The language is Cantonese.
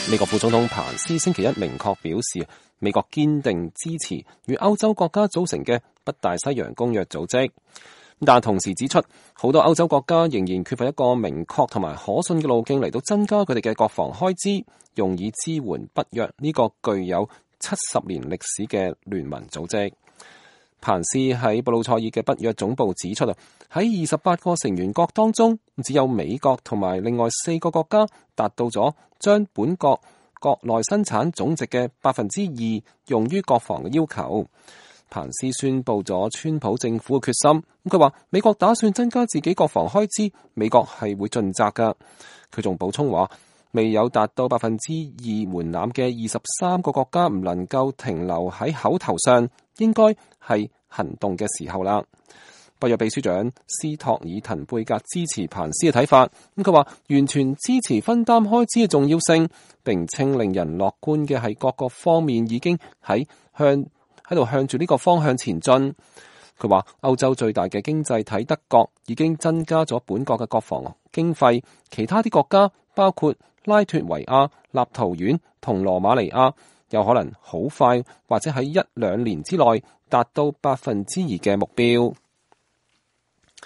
美國副總統彭斯星期一明確表示，美國堅定支持與歐洲國家組成嘅北大西洋公約組織，但同時指出，好多歐洲國家仍然缺乏一個明確同埋可信嘅路徑嚟到增加佢哋嘅國防開支，用以支援北約呢個具有70年歷史嘅聯盟組織。彭斯喺布魯塞爾嘅北約總部指出，喺28個成員國當中，只有美國同埋另外4個國家達到咗將本國國內生產總值嘅2%用於國防嘅要求。彭斯宣布咗川普政府嘅決心，佢話美國打算增加自己國防開支，美國係會盡責㗎。佢仲補充話，未有達到2%門檻嘅23個國家唔能夠停留喺口頭上，應該係行動嘅時候啦。北約秘書長斯托爾滕貝格支持彭斯嘅睇法，佢話完全支持分擔開支嘅重要性，並稱令人樂觀嘅係各個方面已經喺度向住呢個方向前進。佢話歐洲最大嘅經濟體德國已經增加咗本國嘅國防經費，其他啲國家包括拉脫維亞、立陶宛同羅馬尼亞有可能好快或者喺1-2年之內達到2%嘅目標。